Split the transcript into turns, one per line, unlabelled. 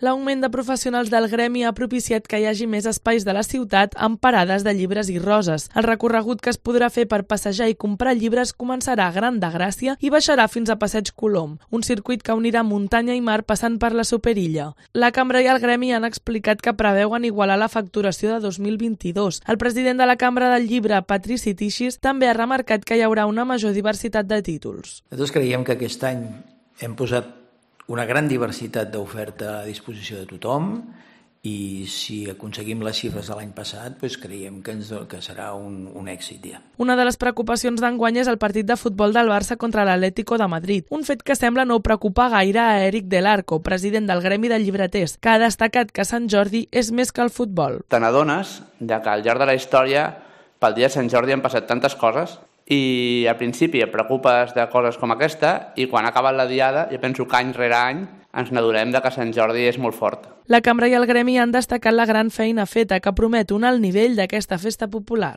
L'augment de professionals del gremi ha propiciat que hi hagi més espais de la ciutat amb parades de llibres i roses. El recorregut que es podrà fer per passejar i comprar llibres començarà a Gran de Gràcia i baixarà fins a Passeig Colom, un circuit que unirà muntanya i mar passant per la Superilla. La Cambra i el gremi han explicat que preveuen igualar la facturació de 2022. El president de la Cambra del Llibre, Patrici Tixis, també ha remarcat que hi haurà una major diversitat de títols.
Nosaltres creiem que aquest any hem posat una gran diversitat d'oferta a disposició de tothom i si aconseguim les xifres de l'any passat, doncs creiem que serà un èxit. Ja.
Una de les preocupacions d'enguany és el partit de futbol del Barça contra l'Atlético de Madrid, un fet que sembla no preocupar gaire a Eric Del Arco, president del Gremi de Llibreters, que ha destacat que Sant Jordi és més que el futbol.
Te n'adones que al llarg de la història, pel dia de Sant Jordi han passat tantes coses i al principi et preocupes de coses com aquesta i quan ha acabat la diada, jo penso que any rere any ens n'adonem que Sant Jordi és molt fort.
La Cambra i el gremi han destacat la gran feina feta que promet un alt nivell d'aquesta festa popular.